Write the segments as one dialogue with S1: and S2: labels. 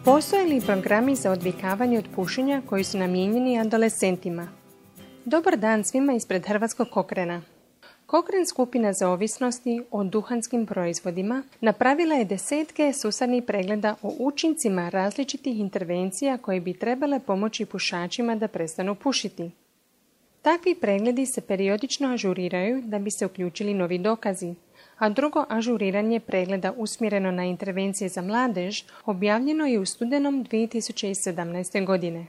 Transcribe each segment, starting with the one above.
S1: Postoje li programi za odvikavanje od pušenja koji su namijenjeni adolescentima? Dobar dan svima ispred Hrvatskog Cochrana. Cochrane skupina za ovisnosti o duhanskim proizvodima napravila je desetke sustavnih pregleda o učincima različitih intervencija koje bi trebale pomoći pušačima da prestanu pušiti. Takvi pregledi se periodično ažuriraju da bi se uključili novi dokazi, a drugo ažuriranje pregleda usmjereno na intervencije za mladež objavljeno je u studenom 2017. godine.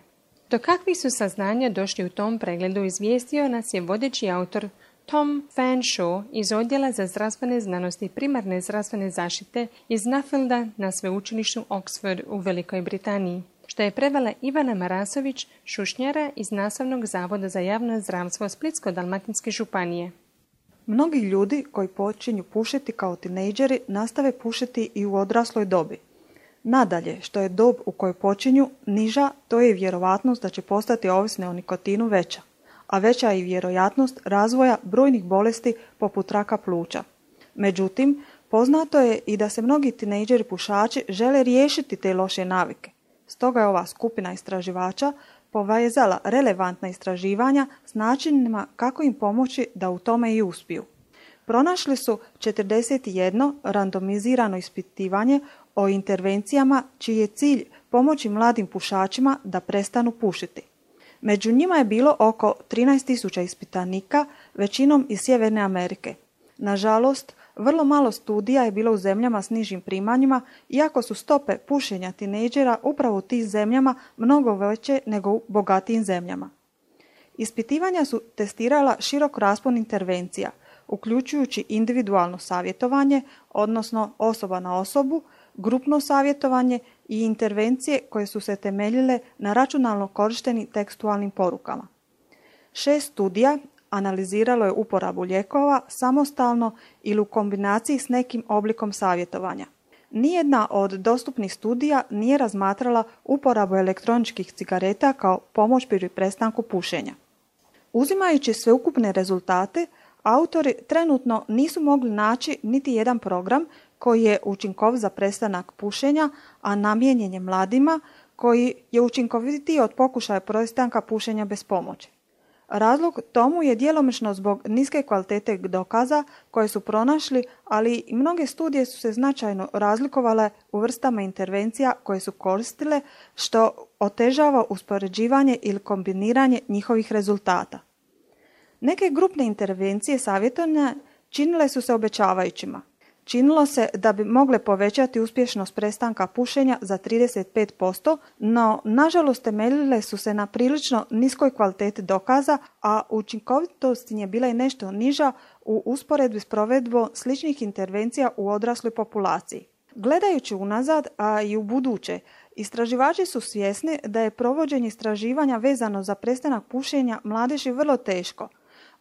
S1: Do kakvih su saznanja došli u tom pregledu izvijestio nas je vodeći autor Tom Fanshawe iz Odjela za zdravstvene znanosti i primarne zdravstvene zaštite iz Nuffielda na sveučilištu Oxford u Velikoj Britaniji, što je prevela Ivana Marasović, šušnjara iz Nastavnog zavoda za javno zdravstvo Splitsko-dalmatinske županije.
S2: Mnogi ljudi koji počinju pušiti kao tinejdžeri nastave pušiti i u odrasloj dobi. Nadalje, što je dob u kojoj počinju niža, to je vjerojatnost da će postati ovisni o nikotinu veća, a veća je i vjerojatnost razvoja brojnih bolesti poput raka pluća. Međutim, poznato je i da se mnogi tinejdžeri pušači žele riješiti te loše navike. Stoga je ova skupina istraživača povezala relevantna istraživanja s načinima kako im pomoći da u tome i uspiju. Pronašli su 41 randomizirano ispitivanje o intervencijama čiji je cilj pomoći mladim pušačima da prestanu pušiti. Među njima je bilo oko 13.000 ispitanika, većinom iz Sjeverne Amerike. Nažalost, vrlo malo studija je bilo u zemljama s nižim primanjima, iako su stope pušenja tinejdžera upravo u tim zemljama mnogo veće nego u bogatijim zemljama. Ispitivanja su testirala širok raspon intervencija, uključujući individualno savjetovanje, odnosno osoba na osobu, grupno savjetovanje i intervencije koje su se temeljile na računalno korištenim tekstualnim porukama. 6 studija analiziralo je uporabu lijekova samostalno ili u kombinaciji s nekim oblikom savjetovanja. Nijedna od dostupnih studija nije razmatrala uporabu elektroničkih cigareta kao pomoć pri prestanku pušenja. Uzimajući sveukupne rezultate, autori trenutno nisu mogli naći niti jedan program koji je učinkovit za prestanak pušenja, a namijenjen je mladima, koji je učinkovitiji od pokušaja prestanka pušenja bez pomoći. Razlog tomu je djelomično zbog niske kvalitete dokaza koje su pronašli, ali i mnoge studije su se značajno razlikovale u vrstama intervencija koje su koristile, što otežava uspoređivanje ili kombiniranje njihovih rezultata. Neke grupne intervencije savjetovanja činile su se obećavajućima. Činilo se da bi mogle povećati uspješnost prestanka pušenja za 35%, no nažalost temeljile su se na prilično niskoj kvaliteti dokaza, a učinkovitost je bila i nešto niža u usporedbi s provedbom sličnih intervencija u odrasloj populaciji. Gledajući unazad, a i u buduće, istraživači su svjesni da je provođenje istraživanja vezano za prestanak pušenja mladeži vrlo teško.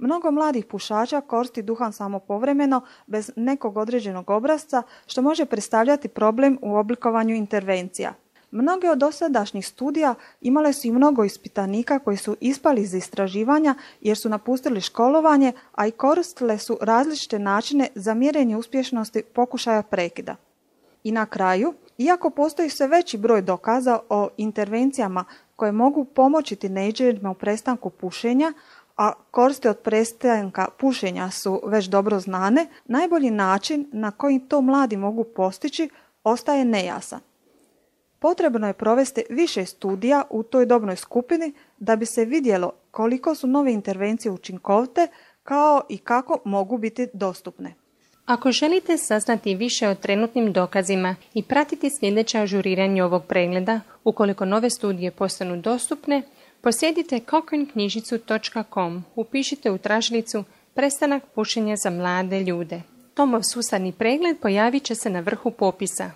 S2: Mnogo mladih pušača koristi duhan samo povremeno, bez nekog određenog obrasca, što može predstavljati problem u oblikovanju intervencija. Mnoge od dosadašnjih studija imale su i mnogo ispitanika koji su ispali iz istraživanja jer su napustili školovanje, a i koristile su različite načine za mjerenje uspješnosti pokušaja prekida. I na kraju, iako postoji sve veći broj dokaza o intervencijama koje mogu pomoći tinejdžerima u prestanku pušenja, a koristi od prestanka pušenja su već dobro znane, najbolji način na koji to mladi mogu postići ostaje nejasan. Potrebno je provesti više studija u toj dobnoj skupini da bi se vidjelo koliko su nove intervencije učinkovite, kao i kako mogu biti dostupne.
S1: Ako želite saznati više o trenutnim dokazima i pratiti sljedeće ažuriranje ovog pregleda, ukoliko nove studije postanu dostupne, posjedite cochraneknjižicu.com, upišite u tražilicu Prestanak pušenja za mlade ljude. Tomov sustavni pregled pojavit će se na vrhu popisa.